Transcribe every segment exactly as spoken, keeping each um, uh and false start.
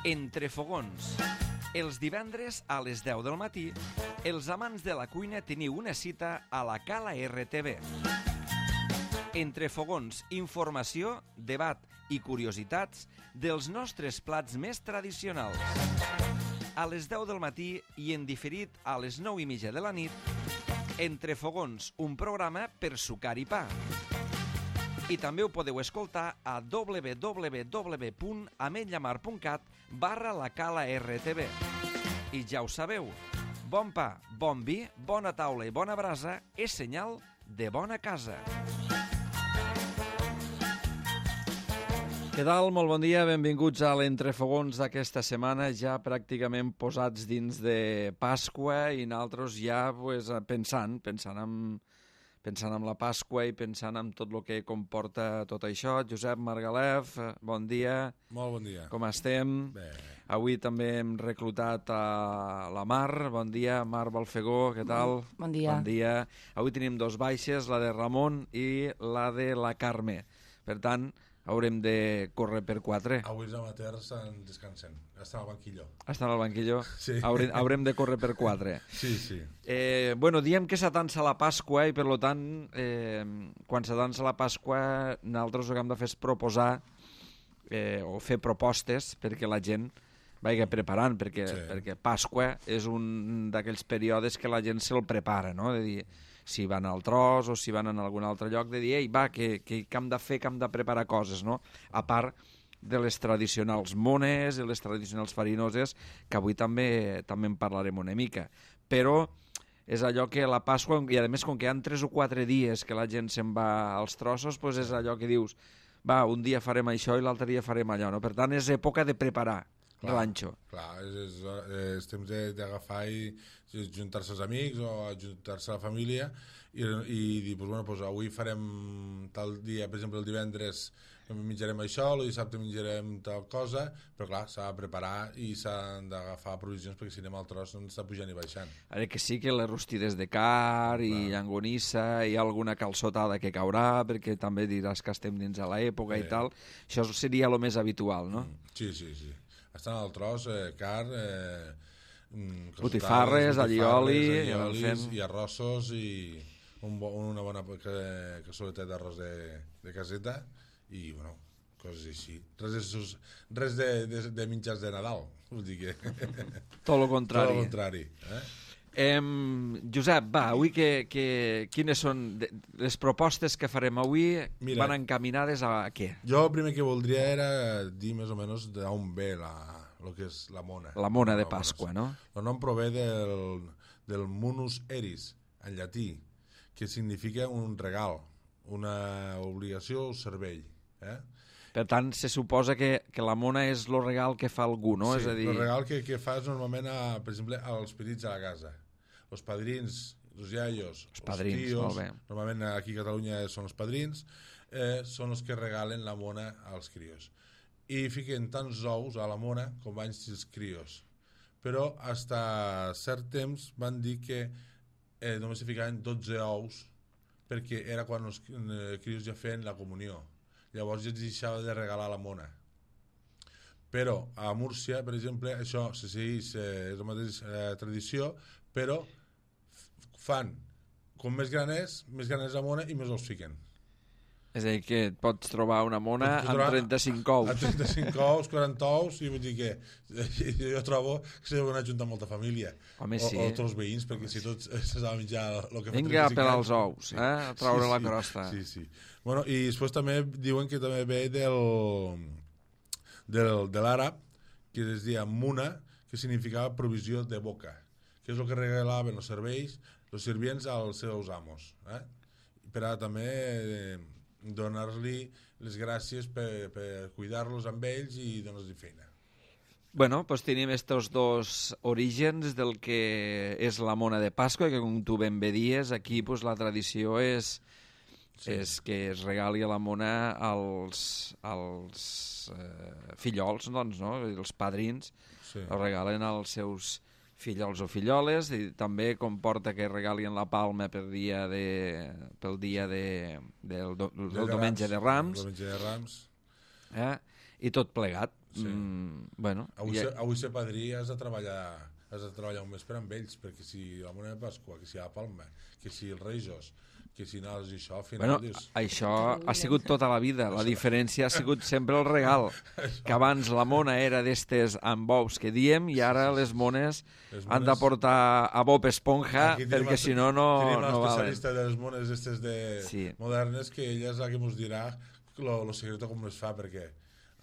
Entre fogons. Els divendres a les deu del matí, els amants de la cuina teniu una cita a la Cala R T V. Entre fogons, informació, debat i curiositats dels nostres plats més tradicionals. A les deu del matí i en diferit a les nou i mitja de la nit, Entre fogons, un programa per sucar i pa. I també ho podeu escoltar a www punt ametlllamar punt cat barra la Cala R T V. I ja ho sabeu, bon pa, bon vi, bona taula i bona brasa és senyal de bona casa. Què tal? Molt bon dia, benvinguts a l'Entrefogons d'aquesta setmana, ja pràcticament posats dins de Pasqua i nosaltres ja pues, pensant, pensant en, pensant en la Pasqua i pensant en tot el que comporta tot això. Josep Margalef, bon dia. Molt bon dia. Com estem? Bé. Avui també hem reclutat a la Mar. Bon dia, Mar Balfegó, què tal? Bon dia. Bon dia. Avui tenim dos baixes, la de Ramon i la de la Carme. Per tant, haurem de córrer per quatre. Avui els amateurs estan descansant. Estan al banquillo. Estan al banquillo? Sí. Haurem, haurem de córrer per quatre. Sí, sí. Eh, bueno, diem que s'atança la Pasqua i, per tant, eh, quan s'atança la Pasqua, nosaltres el que hem de fer és proposar eh, o fer propostes perquè la gent vagi preparant, perquè, sí. perquè Pasqua és un d'aquells períodes que la gent se'l prepara, no? De dir, si van al tros o si van en algun altre lloc, de dir, ei, va, que, que, que hem de fer, que hem de preparar coses, no? A part de les tradicionals mones i les tradicionals farinoses, que avui també també en parlarem una mica. Però és allò que la Pasqua, i a més com que hi ha tres o quatre dies que la gent se'n va als trossos, doncs és allò que dius, va, un dia farem això i l'altre dia farem allò, no? Per tant, és època de preparar l'anxo. Clar, és, és, és temps d'agafar i juntar-se els amics o juntar-se a la família i, i dir, pues, bueno, pues, avui farem tal dia, per exemple el divendres menjarem això, el dissabte menjarem tal cosa, però clar, s'ha de preparar i s'han d'agafar provisions perquè si anem al tros no està pujant i baixant. Ara que sí que les rostides de car i clar. Llangonissa, hi ha alguna calçotada que caurà perquè també diràs que estem dins de l'època sí. I tal, això seria el més habitual, no? Sí, sí, sí. Estan al tros, eh, car, eh, botifarres, allioli, fent... i arrossos i un bo, una bona cassoleta d'arròs de, de caseta i, bueno, coses així. Res de, res de, de, de mitjans de Nadal, vull dir que... Tot el contrari. Tot el contrari, eh? Eh, Josep, va, avui que, que, quines són les propostes que farem avui? Mira, van encaminades a què? Jo el primer que voldria era dir més o menys d'on ve la, el que és la mona. La mona de Pasqua, no? El nom prové del, del munus eris, en llatí, que significa un regal, una obligació o servei. Eh? Per tant, se suposa que, que la mona és el regal que fa algú, no? Sí, és a dir... el regal que, que fas normalment, a, per exemple, als petits a la casa. Els padrins, els iaios, els padrins, els tios, molt bé. Normalment aquí a Catalunya són els padrins, eh, són els que regalen la mona als crios. I fiquen tants ous a la mona com van ser els crios. Però fins a cert temps van dir que eh, només se ficaven dotze ous perquè era quan els eh, crios ja feien la comunió. Llavors ja es deixava de regalar la mona. Però a Múrcia, per exemple, això se segueix, eh, és la mateixa eh, tradició, però fan, com més gran és, més gran és la mona i més ous fiquen. És a dir, que et pots trobar una mona amb trenta-cinc ous. Amb trenta-cinc ous, quaranta ous, i vull dir que jo trobo que s'ha d'anar juntar molta família. Home, o, sí. O tots els veïns, perquè si tots s'ha de menjar el que fa vinga a pelar els ous, sí. eh? A traure sí, la sí, crosta. Sí, sí. Bueno, i després també diuen que també ve del, del, de l'àrab, que es deia muna, que significava provisió de boca, que és el que regalaven els serveis, els servients als seus amos. Eh? Per a també eh, donar-li les gràcies per, per cuidar-los amb ells i donar-los feina. Bueno, doncs tenim estos dos orígens del que és la mona de Pasqua, que com tu ben bé dies, aquí pues, la tradició és, sí. és que es regali la mona als, als eh, fillols, doncs, no? Els padrins, sí. El regalen als seus fillols o filloles, i també comporta que regalien la palma per dia de, pel dia de, del, do, del de diumenge de Rams. Diumenge de Rams. Eh? I tot plegat. Sí. Mm, bueno, Avui, ja... ser, avui ser padrí has de treballar has de treballar un mes per amb ells, perquè si la Mona de Pasqua, que si la Palma, que si els Reixos, que si no, i això, al final Bueno, dius... això ha sigut tota la vida. La diferència ha sigut sempre el regal. Que abans la mona era d'estes amb bous que diem i ara les mones, les mones... han de portar a Bob Esponja perquè si no, no, tenim no valen. Tenim l'especialista de les mones estes de sí. modernes, que ella és la que ens dirà lo, lo secreto com les fa, perquè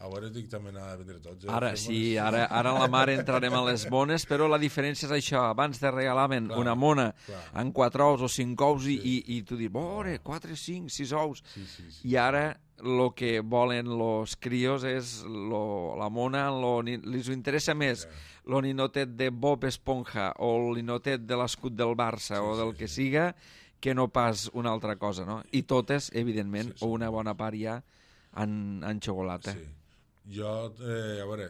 a veure, dic, també n'ha de vendre tots. Eh? Ara sí, ara, ara en la mar entrarem a les mones, però la diferència és això. Abans te regalaven clar, una mona clar. amb quatre ous o cinc ous sí. i, i tu dius, bore, quatre, cinc, sis ous. Sí, sí, sí. I ara el que volen los crios és lo, la mona, lo, li interessa més sí. lo ninotet de Bob Esponja o el ninotet de l'escut del Barça sí, o del sí, que sí. siga, que no pas una altra cosa, no? I totes, evidentment, sí, sí. o una bona part ja en, en xocolata. Sí. Jo, eh, a veure,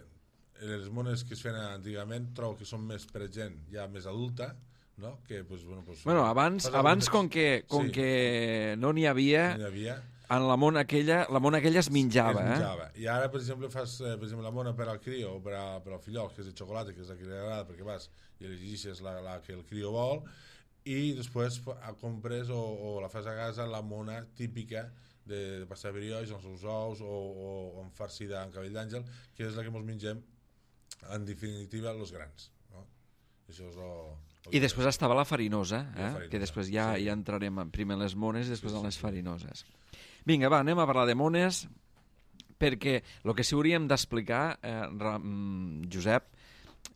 les mones que es feien antigament trobo que són més per gent ja més adulta, no? Que, pues, bueno, pues, bueno, abans, abans com, que, com sí. que no n'hi havia, no havia, en la mona aquella, la mona aquella es menjava. Es menjava. Eh? I ara, per exemple, fas eh, per exemple, la mona per al crio o per, a, per al fillol, que és de xocolata, que és la que li agrada, perquè vas i elegeixes la, la que el crio vol, i després compres o, o la fas a casa la mona típica de, de pasta de brioix, amb els seus ous o, o, o amb farcida amb cabell d'àngel, que és la que ens mengem en definitiva els grans, no? Això és el, el I després estava la farinosa, eh? la farinosa que després ja, sí. ja entrarem primer en les mones i després sí, sí, en les farinoses. Vinga, va, anem a parlar de mones, perquè el que sí hauríem d'explicar, eh, Josep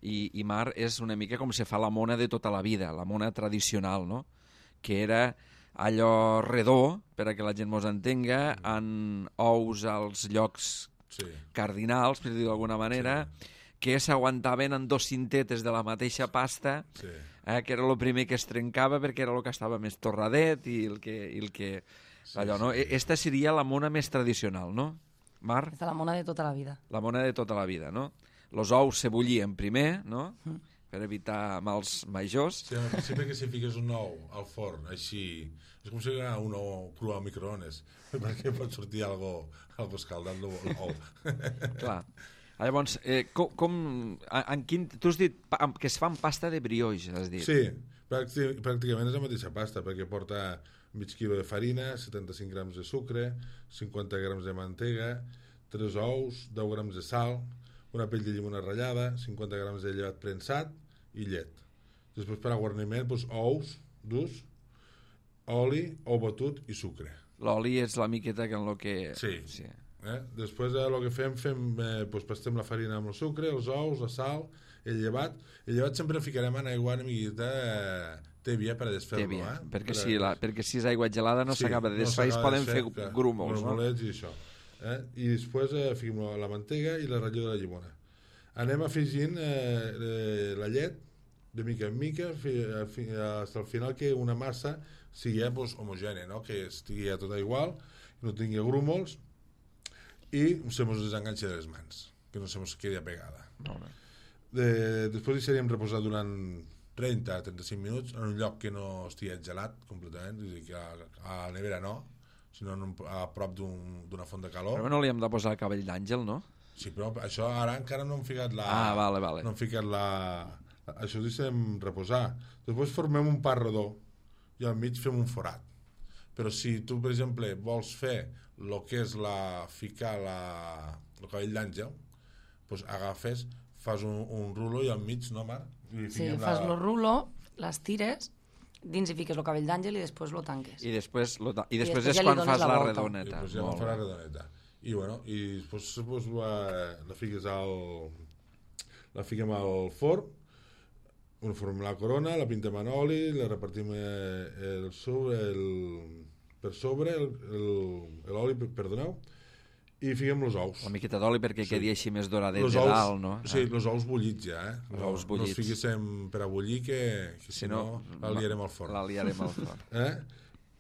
i, i Mar, és una mica com se fa la mona de tota la vida, la mona tradicional, no? Que era allò redó, per a que la gent mos entenga, en ous als llocs sí. cardinals, per dir-ho d'alguna manera, sí. que s'aguantaven en dos cintetes de la mateixa pasta, sí. eh, que era el primer que es trencava perquè era el que estava més torradet i el que... I el que sí, allò, no? Sí. Esta seria la mona més tradicional, no, Mar? Esta la mona de tota la vida. La mona de tota la vida, no? Los ous se bullien primer, no? Mm. Per evitar mals majors. Sí, al principi que si fiques un ou al forn, així, és com si era un ou cru al microones, perquè pot sortir algo, algo escaldat l'ou. Clar. Llavors, eh, com, com, en quin, tu has dit que es fa amb pasta de brioix, has dit. Sí, pràcticament és la mateixa pasta, perquè porta mig quilo de farina, setanta-cinc grams de sucre, cinquanta grams de mantega, tres ous, deu grams de sal, una pell de llimona ratllada, cinquanta grams de llevat premsat i llet. Després per a guarniment, doncs, ous durs, oli, ou batut i sucre. L'oli és la miqueta que en lo que... Sí. sí. Eh? Després el que fem, fem eh, doncs, pastem la farina amb el sucre, els ous, la sal, el llevat. El llevat sempre ficarem en aigua una miqueta eh, tèbia per a desfer-lo. Eh? Perquè, per a... si la, perquè si és aigua gelada no s'acaba sí, de desfer, no es poden fer grúmols. Grumolets no? I això. Eh? I després eh, fiquem la mantega i la ratlla de la llimona. Anem afegint eh, eh, la llet de mica en mica fins al final que una massa sigui pues, homogènia, no? Que estigui tot igual, no tingui grúmols i se mos desenganxa de les mans, que no se mos quedi apegada. De, després deixaríem reposar durant trenta a trenta-cinc minuts en un lloc que no estigui gelat completament, és a dir, que a, a la nevera no, sinó un, a prop d'una un, font de calor. Però no li hem de posar el cabell d'àngel, no? Sí, però això ara encara no hem ficat la... Ah, vale, vale. No hem ficat la... Això ho deixem reposar. Després formem un pa redó i al mig fem un forat. Però si tu, per exemple, vols fer el que és la... ficar la... el cabell d'àngel, doncs agafes, fas un, un rulo i al mig, no, Mar? I sí, fas el la... rulo, les tires, dins hi fiques el cabell d'àngel i després lo tanques. I després, lo ta... I després, I després és ja quan fas la, la I redoneta. després ja fas la redoneta. I, bueno, i després, després la, la fiques al... la fiquem al forn, uniformem la corona, la pintem en oli, la repartim el sobre, el, per sobre, l'oli, perdoneu, i fiquem els ous. Una miqueta d'oli perquè sí. Quedi així més doradet los de ous, dalt, no? Sí, els ous bullits ja, eh? Els no, ous bullits. No els fiquéssim per a bullir, que, que si, si no, no la liarem al forn. La liarem al forn. eh?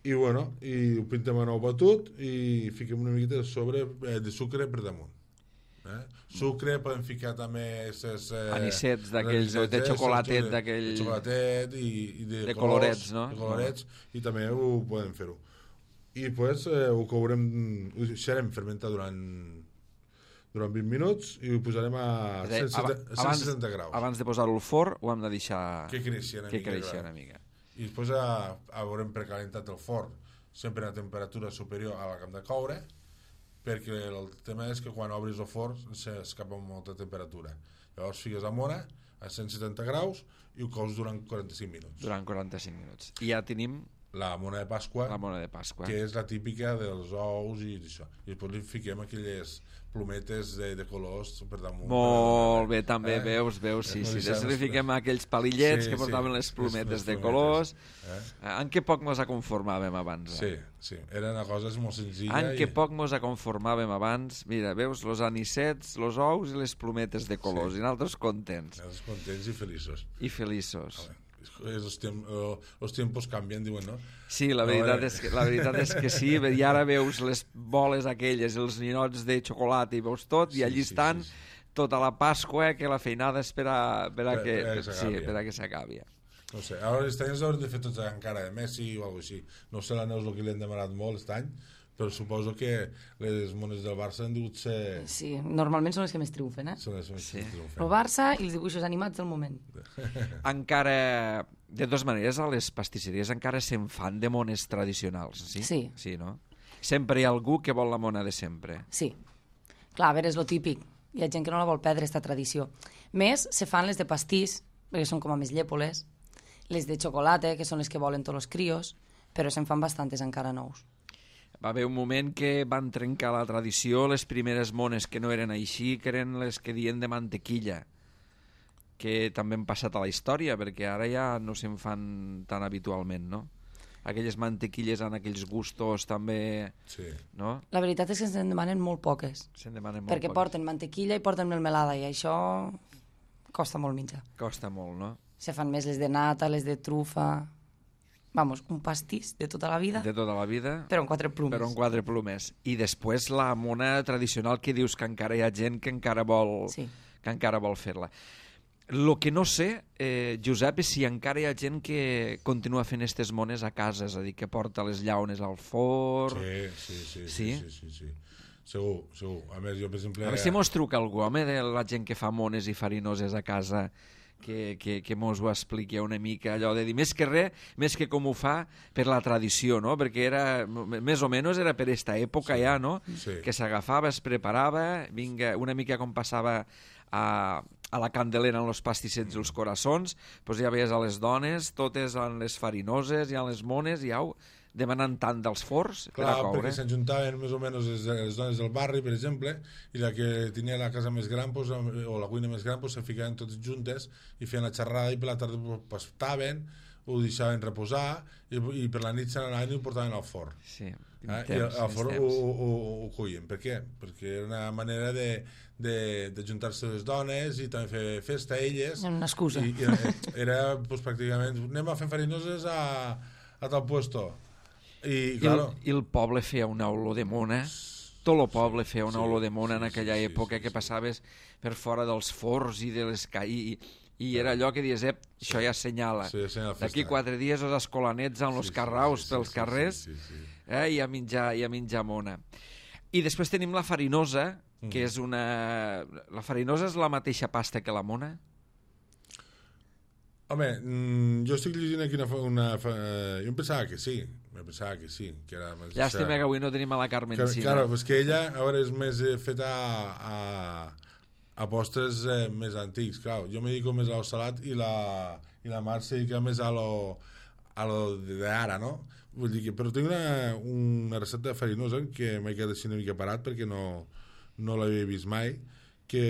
I, bueno, i ho pintem en ou batut i fiquem una miqueta de sobre eh, de sucre per damunt. Eh? Sucre, podem ficar també ses, eh, anisets d'aquells, de xocolatet d'aquell... de xocolatet i, i de, de colors, colorets, no? De colorets, no. I també ho podem fer-ho. I pues, eh, ho courem, ho deixarem fermentar durant durant vint minuts i ho posarem a cent setanta graus. Abans de posar-ho al forn ho hem de deixar que creixi una, que mica, creixi una mica. I després a, haurem precalentat el forn sempre a temperatura superior a la que hem de coure, perquè el tema és que quan obris el forn s'escapa molta temperatura. Llavors fiques a mona a cent setanta graus i ho cous durant quaranta-cinc minuts. Durant quaranta-cinc minuts. I ja tenim la mona de Pasqua, la mona de Pasqua, que és la típica dels ous i això. I després li fiquem aquelles plumetes de, de colors per damunt. Molt bé, també, eh? veus, veus, sí, sí. Després li fiquem aquells palillets sí, que portaven sí, les plumetes de colors. Eh? En què poc mos conformàvem abans? Eh? Sí, sí, era una cosa molt senzilla. En què i... poc mos conformàvem abans? Mira, veus, los anicets, los ous i les plumetes de colors, sí. I nosaltres contents. Nosaltres contents i feliços. I feliços. Els temps, tiempos canvien, diuen, no? Sí, la veritat, és que, la veritat és que sí, i ara veus les boles aquelles, els ninots de xocolata i veus tot, sí, i allí sí, estan sí, sí. Tota la Pasqua, que la feinada és per a, per a, que, per, sí, per a que s'acabi. No sé, ara els anys haurem de fer tots encara de Messi o alguna cosa així. No sé la Neus el que li han demanat molt aquest any, però suposo que les mones del Barça han digut ser... Sí, normalment són les que més triomfen, eh? Són les que més sí. triomfen. El Barça i els dibuixos animats del moment. Encara, de dues maneres, a les pastisseries encara se'n fan de mones tradicionals, sí? Sí. Sí, no? Sempre hi ha algú que vol la mona de sempre. Sí. Clar, a veure, és lo típic. Hi ha gent que no la vol perdre, aquesta tradició. Més, se fan les de pastís, perquè són com a més llepoles, les de xocolata, que són les que volen tots els crios, però se'n fan bastantes encara nous. Va haver un moment que van trencar la tradició, les primeres mones que no eren així, que eren les que dien de mantequilla, que també han passat a la història, perquè ara ja no se'n fan tan habitualment, no? Aquelles mantequilles en aquells gustos també... Sí. No? La veritat és que se'n demanen molt poques. Se'n demanen molt perquè poques. Porten mantequilla i porten melmelada, i això costa molt menjar. Costa molt, no? Se fan més les de nata, les de trufa... Vamos, un pastís de tota la vida. De tota la vida. Però en quatre plomes. Però en quatre plomes. I després la mona tradicional que dius que encara hi ha gent que encara vol, sí. que encara vol fer-la. El que no sé, eh, Josep, és si encara hi ha gent que continua fent aquestes mones a casa, és a dir, que porta les llaunes al forn... Sí, sí, sí. Sí? Sí, sí, sí, sí. Segur, segur. A més, jo, per exemple... A veure si mos truca algú, home, de la gent que fa mones i farinoses a casa... que, que, que mos ho expliqui una mica, allò de dir, més que res, més que com ho fa per la tradició, no? Perquè era, més o menys era per aquesta època sí, ja, no? Sí. Que s'agafava, es preparava, vinga, una mica com passava a, a la Candelera en els pastissets i els coraçons, doncs ja veies a les dones, totes en les farinoses i en les mones, i au, demanant tant dels forns per a Clar, coure. perquè s'ajuntaven més o menys les, les dones del barri, per exemple, i la que tenia la casa més gran pues, o la cuina més gran pues, se ficaven totes juntes i feien la xerrada i per la tarda pues, pastaven, ho deixaven reposar i, i per la nit se n'anaven i ho portaven al forn. Sí, eh? I al, al forn ho, ho, ho cuien. Per què? Perquè era una manera de, de, de juntar-se les dones i també fer festa a elles. Una excusa. I, i era pues, pràcticament, anem a fer farinoses a, a tal puesto. I, claro. I, el, I el poble feia una olor de mona, tot el poble feia una sí, olor de mona sí, en aquella sí, època sí, sí, que passaves per fora dels forns i de les ca... I, i era allò que dius, ep, sí, això ja assenyala. Sí, d'aquí quatre dies els escolanets amb els sí, carraus sí, sí, pels sí, carrers sí, sí, sí. Eh, i, a menjar, i a menjar mona. I després tenim la farinosa, que mm. és una... La farinosa és la mateixa pasta que la mona? Home, jo estic llegint aquí una... una jo em pensava que sí, em pensava que sí. Que era més Llàstima que avui no tenim a la Carmen que, Sina. Claro, és que ella a veure, és més eh, feta a, a, a postres eh, més antics, clar. Jo me dedico més al salat i la, i la Mar se dedica més a lo, a lo d'ara, no? Vull dir que, però tinc una, una recepta de farinosa que m'he quedat així una mica parat perquè no, no l'havia vist mai, que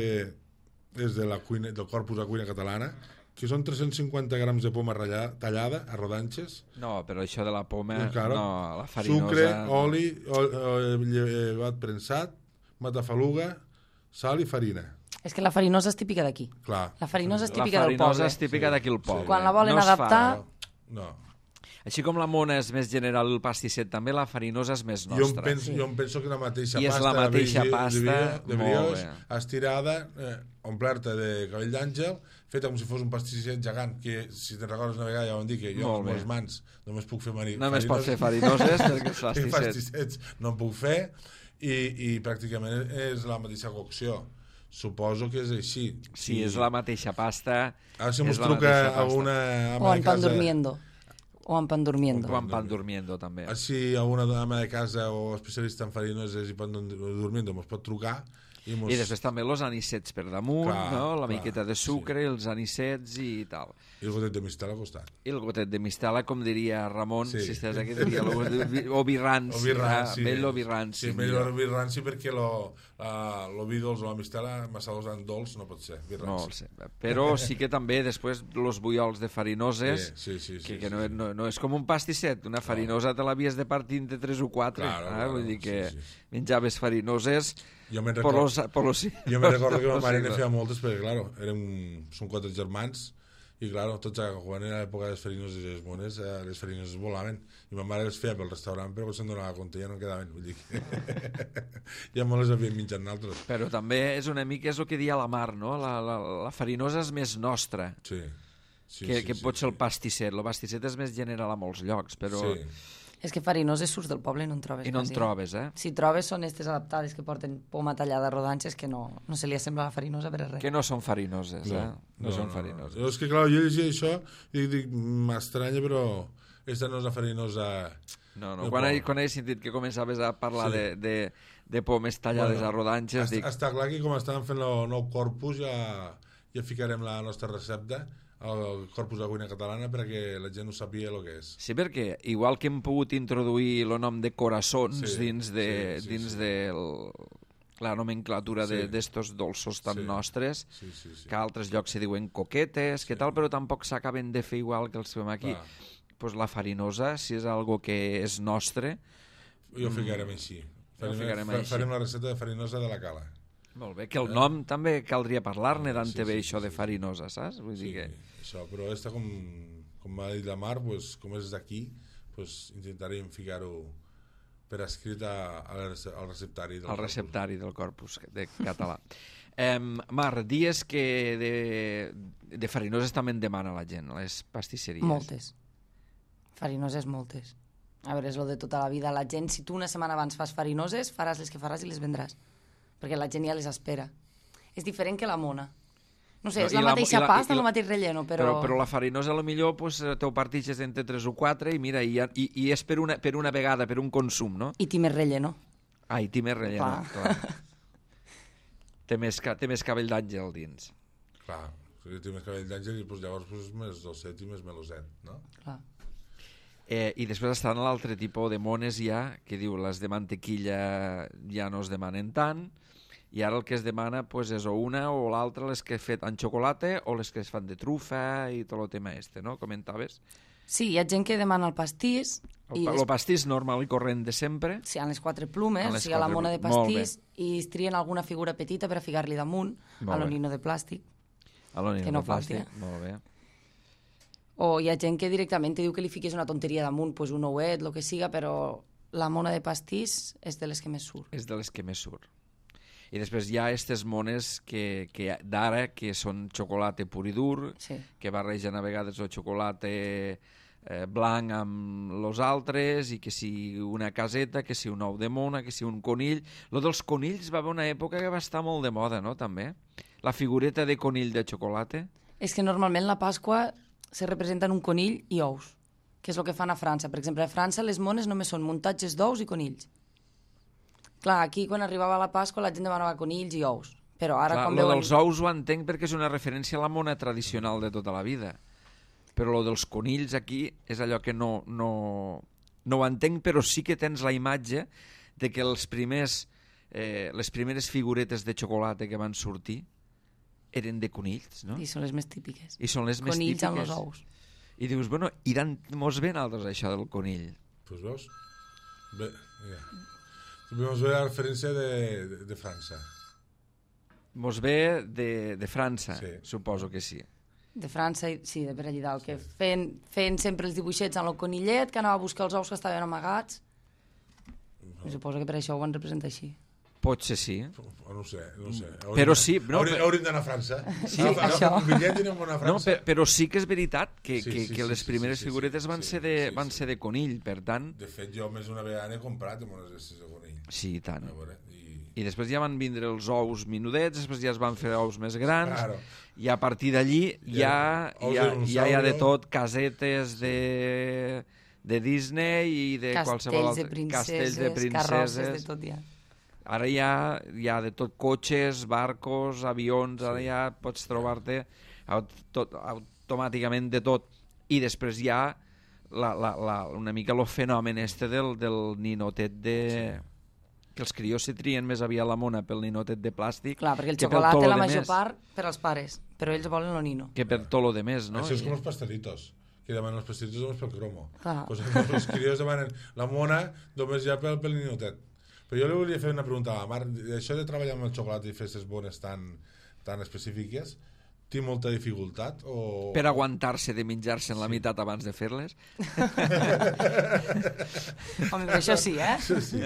és de la cuina, del Corpus de Cuina Catalana, que són tres-cents cinquanta grams de poma ratllada, tallada a rodanxes. No, però això de la poma, claro, no, la farinosa... Sucre, oli, oli llevat prensat, matafaluga, sal i farina. És que la farinosa és típica d'aquí. Clar. La farinosa és típica del poble. La farinosa és típica sí, d'aquí al poble. Sí. Quan la volen no adaptar... No. no. Així com la mona és més general, el pastisset també, la farinosa és més nostra. Jo em penso, sí. jo em penso que la mateixa I pasta... I és la mateixa de, pasta... De, de brioix, estirada, eh, omplerta de cabell d'àngel, feta com si fos un pastisset gegant, que si te'n recordes una vegada ja vam dir que jo amb les mans només puc fer mani... Només pots fer farinoses perquè els pastissets... pastissets no en puc fer, i, i pràcticament és la mateixa cocció. Suposo que és així. Sí, és la mateixa pasta. Ara si és ens la truca mateixa a pasta. una O ama en de pan casa... durmiendo. O en pan durmiendo. O en pan durmiendo, també. Si a una ama de casa o especialista en farinoses i pan durmiendo ens pot trucar i, mos... I després també els anicets per damunt, Clar, no? La clar, miqueta de sucre, sí. els anicets i tal. I el gotet de mistel al costat. I el gotet de mistela, com diria Ramon, Sí. si estàs aquí, diria lo, o vi ranci. O vi ranci. Vell o vi ranci. Sí, millor vi ranci perquè lo, uh, lo vi dolç o la mistela, massa dolç dolç no pot ser. Vi No ranci. ho sé. Però sí que també després los bullols de farinoses, Sí, sí, sí, sí, que, que sí, no, sí. no, no és com un pastisset, una farinosa te l'havies de partir entre tres o quatre. Claro, eh? claro, Vull dir que sí, sí. menjaves farinoses Jo me'n por recordo, los, por los, jo me recordo que ma los mare ne siglos. feia moltes perquè, claro, érem, som quatre germans i, claro, tots a, quan era l'època de les farinoses i les mones, eh, les farinoses volaven i ma mare les feia pel restaurant però quan se'n donava compte ja no en quedaven, vull dir que ja me les havíem menjat nosaltres. Però també és una mica és el que dia la Mar, no? La, la, la farinosa és més nostra Sí, sí, que, sí, que sí, pot ser sí. el pastisset. El pastisset és més general a molts llocs, però... Sí. És que farinoses surts del poble i no en trobes I no en quasi. trobes, eh? Si trobes són aquestes adaptades que porten poma tallada a rodanxes que no, no se li assembla a la farinosa per res. Que no són farinoses, eh? No, no, són no, farinoses. no. És que, clar, jo llegia això i dic, m'estranya, però esta no és la farinosa... No, no. de Quan, he, poble. quan he sentit que començaves a parlar Sí. de, de, de pomes tallades Bueno, a rodanxes, està, dic... està clar que com estàvem fent el nou corpus ja, ja ficarem la nostra recepta al corpus de cuina catalana perquè la gent no sabia el que és. Sí, perquè igual que hem pogut introduir el nom de coraçons Sí, dins de, sí, sí, dins sí. de la nomenclatura Sí. d'estos dolços tan Sí. nostres, Sí, sí, sí. que a altres llocs se diuen coquetes, que tal, però tampoc s'acaben de fer igual que els fem aquí. Clar. Pues la farinosa, si és algo que és nostre, I ho ficarem així. Farem, ficarem fa- així. farem la recepta de farinosa de la cala. molt bé, que el nom també caldria parlar-ne Sí, d'ante sí, bé sí, això sí, de sí. farinosa, saps? Vull Sí, dir que... això, però esta, com, com m'ha dit la Mar, pues, com és d'aquí, pues, intentarem ficar-ho per escrit a, a la rece- al receptari. del El corpus. receptari del corpus de català. Eh, Mar, dies que de, de farinoses també en demana la gent, a les pastisseries. Moltes. Farinoses moltes. A veure, és lo de tota la vida. La gent, si tu una setmana abans fas farinoses, faràs les que faràs i les vendràs. Perquè la gent ja les espera. És diferent que la mona. No sé, No, és i la, la- mateixa i la- pasta, i la- el mateix relleno, però... Però, però la farinosa, a lo millor, pues, t'ho partixes entre tres o quatre i mira, i, ja- i, i és per una, per una vegada, per un consum, no? I té més relleno. Ah, i té més relleno, Clar. clar. té, més, ca- té més cabell d'àngel dins. Clar, si té més cabell d'àngel i pues, llavors pues, més dolcet i més meloset, no? Clar. Eh, I després estan l'altre tipus de mones ja, que diu les de mantequilla ja no es demanen tant, i ara el que es demana pues, és o una o l'altra, les que es fet en xocolata o les que es fan de trufa i tot el tema este, no? Comentaves. Sí, hi ha gent que demana el pastís El, i pa- es... el pastís normal i corrent de sempre. sí, han les quatre plumes, Han o les sigui, a la quatre mona de plu- molt bé. pastís i es trien alguna figura petita per a ficar-li damunt Molt a lo bé. nino de plàstic. A l'ònima Que no de plàstic. falti, Molt bé. O hi ha gent que directament te diu que li fiquis una tonteria damunt, pues un ouet, el que siga, però la mona de pastís és de les que més surt. És de les que més surt. I després hi ha aquestes mones que, que d'ara, que són xocolata pur i dur, Sí. que barregen a vegades el xocolata eh, blanc amb los altres, i que si una caseta, que si un ou de mona, que si un conill. Lo dels conills va haver una època que va estar molt de moda, no?, també? La figureta de conill de xocolata. És que normalment la Pasqua se representa en un conill i ous, que és el que fan a França. Per exemple, a França les mones només són muntatges d'ous i conills. Clar, aquí quan arribava la Pasqua la gent demanava conills i ous. Però ara Clar, quan lo veuen... dels ous ho entenc perquè és una referència a la mona tradicional de tota la vida. Però lo dels conills aquí és allò que no, no, no ho entenc, però sí que tens la imatge de que els primers, eh, les primeres figuretes de xocolata que van sortir eren de conills, no? I són les més típiques. I són les més Conills típiques. amb els ous. I dius, bueno, i mos ve altres això del conill. Pues veus? Bé, ja. Mos ve la referència de, de, de França. Mos ve de, de França, Sí. suposo que sí. De França, i- sí, de per allà dalt, que feien, feien sempre els dibuixets amb el conillet, que anava a buscar els ous que estaven amagats. I suposo que per això ho van representar així. Potser sí. No ho sé, no ho sé. Hauríem, Però sí... No, hauríem, per... hauríem d'anar a França. Sí, Agafar això. un bitllet i anem a França. No, per, però sí que és veritat que, Sí, que, sí, que sí, les sí, primeres sí, sí, figuretes sí, van, sí, ser, de, sí, van sí. ser de conill, per tant... De fet, jo més d'una vegada n'he comprat amb unes estes de conill. Sí, i tant. A veure, i... I després ja van vindre els ous minudets, després ja es van fer ous més grans, Claro. i a partir d'allí ja, Ous ja, de ja hi ha de dinosaurio. tot, casetes de, de Disney i de qualsevol Castells de altre... princeses, Castells de carrosses, de princeses. tot ja. Ara hi ha, hi ha de tot, cotxes, barcos, avions, ara ja pots trobar-te aut tot, automàticament de tot. I després hi ha la, la, la, una mica el fenomen este del, del ninotet de... Sí. Que els crios se trien més aviat la mona pel ninotet de plàstic. Clar, perquè el que pel xocolata tolo la de major més, part per als pares, però ells volen el nino. que per tot lo de més, no? Això és I- com els pastelitos, que demanen els pastelitos només pel cromo. Clar. Pues, els crios demanen la mona només ja pel, pel ninotet. Però jo li volia fer una pregunta a la Mar. Això de treballar amb el xocolata i festes bones tan, tan específiques, té molta dificultat? O... Per aguantar-se de menjar-se en la meitat abans de fer-les. Home, però això sí, eh? Sí, sí.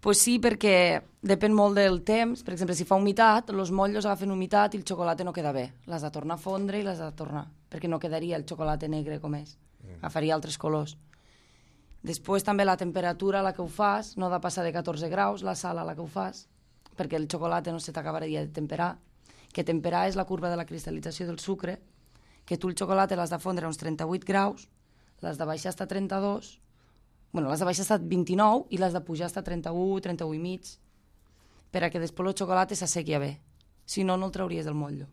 Pues sí, perquè depèn molt del temps. Per exemple, si fa humitat, els motllos agafen humitat i el xocolata no queda bé. L'has de tornar a fondre i l'has de tornar, perquè no quedaria el xocolata negre com és. Agafaria altres colors. Després també la temperatura a la que ho fas, no ha de passar de catorze graus, la sal a la que ho fas, perquè el xocolata no se t'acabaria de temperar. Que temperar és la curva de la cristal·lització del sucre, que tu el xocolata l'has de fondre a uns trenta-vuit graus, l'has de baixar fins a trenta-dos, bueno, l'has de baixar fins a vint-i-nou i l'has de pujar fins a trenta-u, trenta-u i mig, per a que després el xocolata s'assequi bé. Si no, no el trauries del motllo.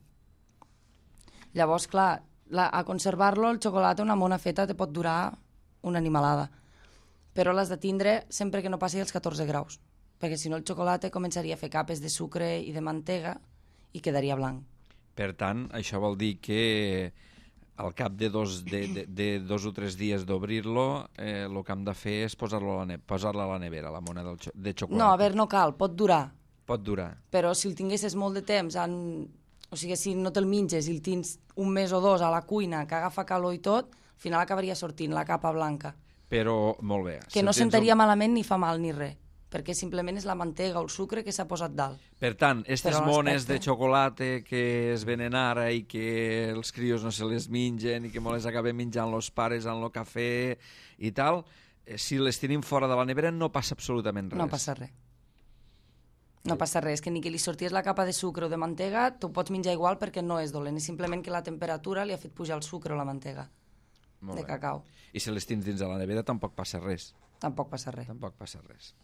Llavors, clar, la, a conservar-lo, el xocolata, una mona feta, te pot durar una animalada. Però l'has de tindre sempre que no passi els catorze graus, perquè si no el xocolata començaria a fer capes de sucre i de mantega i quedaria blanc. Per tant, això vol dir que al cap de dos, de, de, de dos o tres dies d'obrir-lo, eh, el que hem de fer és posar-lo a la, ne posar-la a la nevera, la mona del xo de xocolata. No, a veure, no cal, pot durar. Pot durar. Però si el tinguessis molt de temps, en... o sigui, si no te'l menges i el tens un mes o dos a la cuina, que agafa calor i tot, al final acabaria sortint la capa blanca. Però, molt bé. Que si no tens sentaria un... malament ni fa mal ni res, perquè simplement és la mantega o el sucre que s'ha posat dalt. Per tant, aquestes Però mones de l'aspecte- xocolata que es venen ara i que els crios no se les mengen i que me les acabem menjant els pares en el cafè i tal, eh, si les tenim fora de la nevera no passa absolutament res. No passa res. No passa res, que ni que li sortís la capa de sucre o de mantega, tu pots menjar igual perquè no és dolent, és simplement que la temperatura li ha fet pujar el sucre o la mantega Molt de bé. cacau. I si les tens dins de la nevera tampoc passa res. Tampoc passa res. Tampoc passa res.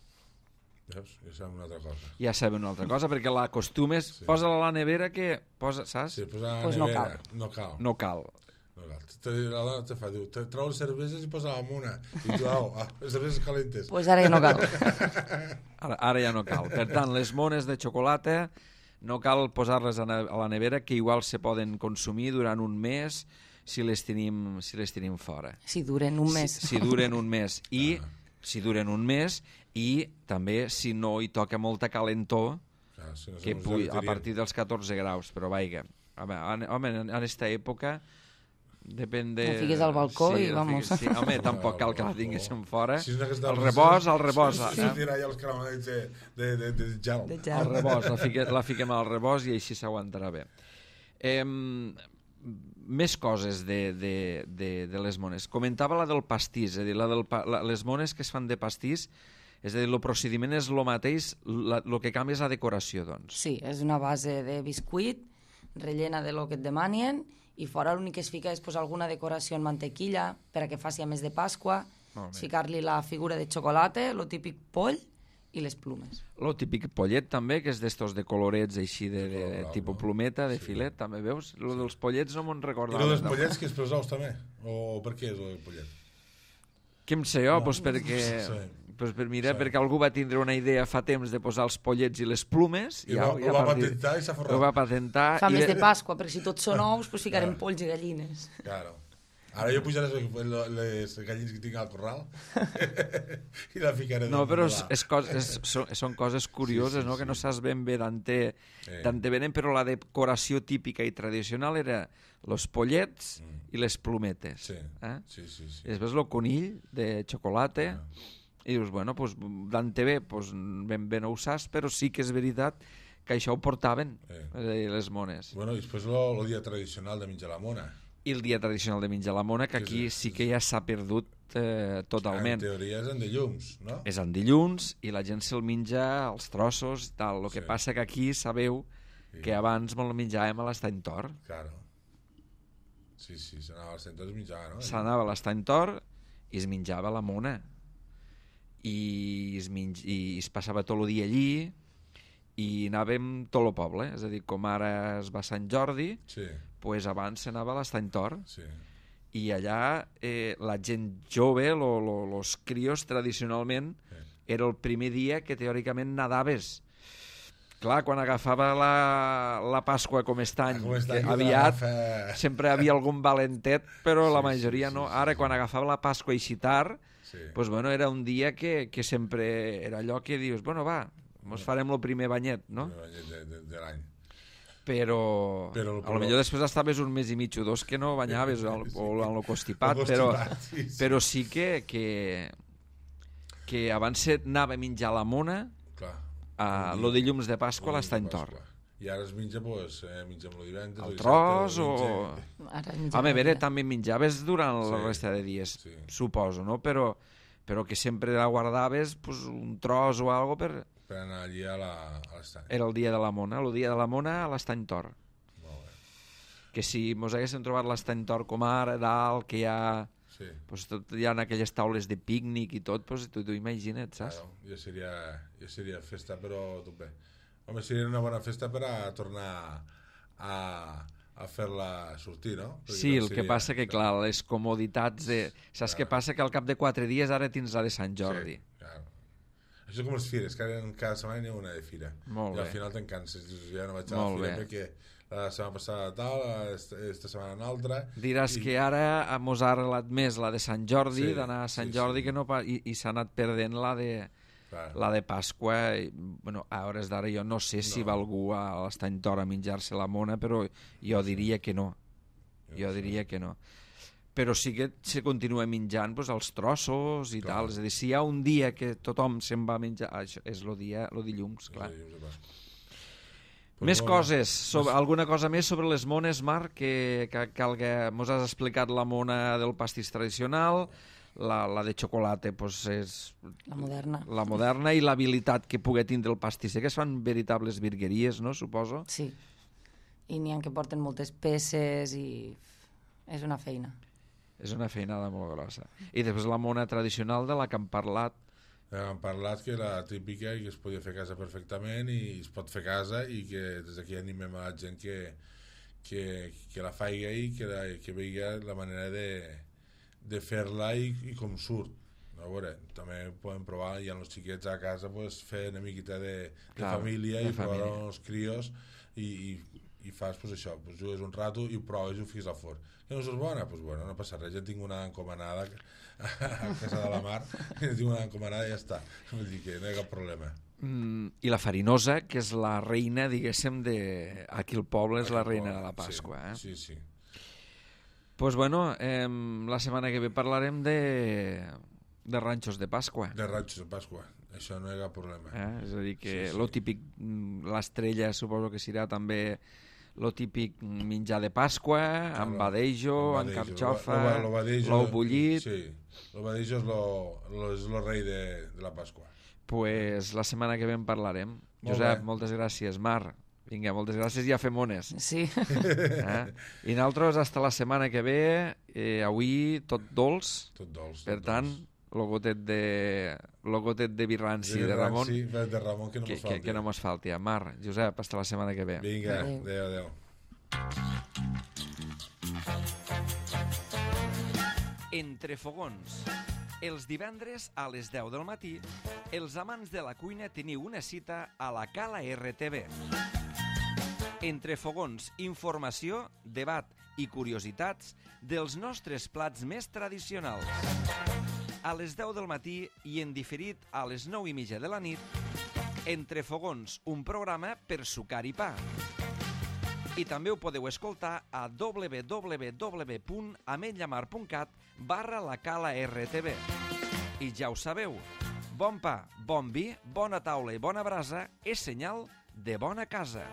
Veus? Ja sabem una altra cosa. Ja sabem una altra cosa, perquè l'acostumes, sí. posa-la a la nevera que... Posa, saps? Sí, posar a la Pues no nevera. cal. No cal. No cal. No cal. Te, la dona te fa, diu, te trau les cerveses i posa la mona. I tu, au, ah, les cerveses calentes. Doncs pues ara ja no cal. Ara, ara ja no cal. Per tant, les mones de xocolata no cal posar-les a, a la nevera, que igual se poden consumir durant un mes si les tenim, si les tenim fora. Si duren un mes. Si, si duren un mes. I si duren un mes i també si no hi toca molta calentor, Clar, si no que som pugui, a vegetarians. partir dels catorze graus, però vaiga. Home, en, home, en aquesta època depèn de... La fiques al balcó i la vamos. fiques- Sí, home, tampoc cal que la balcó. tinguéssim fora. Si és una que està El als rebost, meses, el rebost. Si eh? tira ja els caramells de, de, de, de gel. De El gel. rebost, la, fique, la fiquem al rebost i així s'aguantarà bé. Eh, més coses de, de, de, de les mones. Comentava la del pastís, és a dir, la del pa, la, les mones que es fan de pastís, és a dir, el procediment és el mateix, el que canvia és la decoració, doncs. Sí, és una base de biscuit, rellena de lo que et demanen, i fora l'únic que es fica és posar alguna decoració en mantequilla per a que faci a més de Pasqua, Molt bé. ficar-li la figura de xocolata, lo típic poll i les plumes. Lo típic pollet també, que és d'estos de colorets així de, de, de Blau, tipus no? plumeta, de Sí. filet, també veus? Lo dels pollets no me'n I recordava. el dels no. pollets, que és pels ous també? O per què és el pollet? Què em sé jo? No, Pues perquè, sí. pues per, mira, Sí. perquè algú va tindre una idea fa temps de posar els pollets i les plumes. I ja, ho- ja ho va a partir- patentar i s'ha forrat. Ho va patentar. Fa i més de- de Pasqua, perquè si tots són ous, doncs ficarem Clar. polls i gallines. Claro. Ara jo pujaré les, les gallines que tinc al corral i la ficaré. No, damunt però de és, la- és cos, és, són, són coses curioses, Sí, sí, no? Que sí. no saps ben bé d'on te, Eh. d'on te venen, però la decoració típica i tradicional era los pollets Mm. i les plumetes. Sí, Eh? sí, sí. sí. I després el conill de xocolata Ah. i dius, bueno, pues, d'ante bé, pues, ben bé no ho saps, però sí que és veritat que això ho portaven, Eh. és a dir, les mones. Bueno, i després el dia tradicional de menjar la mona. I el dia tradicional de menjar la mona, que aquí sí que ja s'ha perdut eh, totalment. En teoria és en dilluns, no? És en dilluns i la gent se'l menja als trossos i tal. El que Sí. passa que aquí sabeu Sí. que abans me'l menjàvem a l'Estany Tor. Claro. Sí, sí, s'anava als centres i menjava, no? S'anava a l'Estany Tor i es menjava la mona. I es, menj... I es passava tot el dia allí i anàvem tot el poble. És a dir, com ara es va a Sant Jordi, Sí, pues abans s'anava a l'Estany Tor. sí. I allà eh, la gent jove, lo, lo, los crios, tradicionalment, Eh. era el primer dia que teòricament nadaves. Clar, quan agafava la, la Pasqua com aquest any, Com està que aquí aviat l'agafa- sempre havia algun valentet, però Sí, la sí, majoria sí, no. sí, Ara, sí. quan agafava la Pasqua així tard, Sí. pues, bueno, era un dia que, que sempre era allò que dius, bueno, va, mos farem el primer banyet, no? De, de, de, de l'any. Però, Però- a lo millor després estaves un mes i mig o dos que no banyaves al, Sí. o en el constipat, El però, constipat, sí, sí. però sí que, que, que abans s'anava a menjar la mona Clar. a El lo dia- dilluns de Pasqua a el l'Estany dilluns de Tor. Pasqua. I ara es menja, doncs, eh, mengem el divendres... El el tros dissabte, el o... diumenge. Ara A menjarem veure, dia. també menjaves durant la Sí, resta de dies, sí. suposo, no? Però, però que sempre la guardaves pues, un tros o algo per... Per anar allí a la- a l'estany. Era el dia de la mona, el dia de la mona a l'Estany Tor. Molt bé. Que si mos haguéssim trobat l'Estany Tor com ara, dalt, que hi ha... Sí. Pues tot, hi ha aquelles taules de pícnic i tot, pues, tu t'ho imagina't, saps? Claro, ja seria, ja seria festa, però tot bé. Home, seria una bona festa per a tornar a, a fer-la sortir, no? Perquè Sí, no el que seria- passa que, clar, les comoditats de... Saps què passa? Que al cap de quatre dies ara tens la de Sant Jordi. Sí, claro. Això és com les fires, que ara en cada setmana n'hi ha una de fira. Molt I al bé. final te'n canses, dius, ja no vaig a la Molt fira bé. perquè la setmana passada tal, esta, esta setmana una altra... Diràs i- que ara mos ha arrelat més la de Sant Jordi, Sí, d'anar a Sant sí, Jordi, sí. que no pa... i, i s'ha anat perdent la de, Clar. la de Pasqua. I, bueno, a hores d'ara jo no sé si No. va algú a l'Estany Tor a menjar-se la mona, però jo diria que no. Jo diria que no. Però sí que se continua menjant pues, els trossos i Clar. tal. És a dir, si hi ha un dia que tothom se'n va a menjar... Això és el dia, el dilluns, clar. Sí, de Pasqua. Més molt bé. coses, sobre, alguna cosa més sobre les mones, Marc, que, que, que, que mos has explicat la mona del pastís tradicional, la, la de xocolata pues, és La moderna. la moderna i l'habilitat que pugui tindre el pastisser, que es fan veritables virgueries, no, suposo? Sí. I n'hi ha que porten moltes peces i és una feina. És una feinada molt grossa. I després la mona tradicional de la que hem parlat, Hem parlat que la típica i que es podia fer a casa perfectament i es pot fer a casa i que des d'aquí animem a la gent que, que, que la faiga i que, la, que vegi la manera de, de fer-la i, i com surt. A veure, també podem provar, hi ha els xiquets a casa, pues, fer una miqueta de, de Clar, família de i provar família. els crios i, i, i fas pues, això, pues, jugues un rato i ho proves i ho fiques al forn. Que no és bona? Pues bueno, no passa res, ja tinc una encomanada a casa de la mar, tinc una encomanada i ja està. Vull dir que no hi ha cap problema. mm, i la farinosa, que és la reina, diguéssim, de... Aquí al poble és la reina de la Pasqua. Eh? Sí, sí. Pues bueno, eh, la setmana que ve parlarem de, de ranxos de Pasqua. De ratxos de Pasqua, això no hi ha cap problema. Eh? És a dir, que Sí, sí. lo típic, mm, l'estrella suposo que serà també lo típic menjar de Pasqua, amb lo- badejo, el amb badejo. carxofa, Lo- lo- lo badejo- l'ou bullit. Sí, el badejo és lo, lo, és lo rei de, de la Pasqua. Pues la setmana que ve en parlarem. Molt Josep, bé. moltes gràcies. Mar, vinga, moltes gràcies i a fer mones. Sí. Eh? I nosaltres, hasta la setmana que ve, eh, avui tot dolç, Tot dolç. per tot tant, dolç. lo gotet de, lo gotet de birranci de, Ramon, Sí, de Ramon que no que, mos que, falti. que no mos falti. Mar, Josep, hasta la setmana que ve. Vinga, Adéu. adéu, adéu. Entre fogons. Els divendres a les deu del matí, els amants de la cuina teniu una cita a la Cala R T V. Entre fogons, informació, debat i curiositats dels nostres plats més tradicionals. A les deu del matí i en diferit a les nou i mitja de la nit, Entre fogons, un programa per sucar i pa. I també ho podeu escoltar a w w w punt ametlllamar punt cat barra la Cala R T V. I ja ho sabeu, Bon pa, bon vi, bona taula i bona brasa és senyal de bona casa.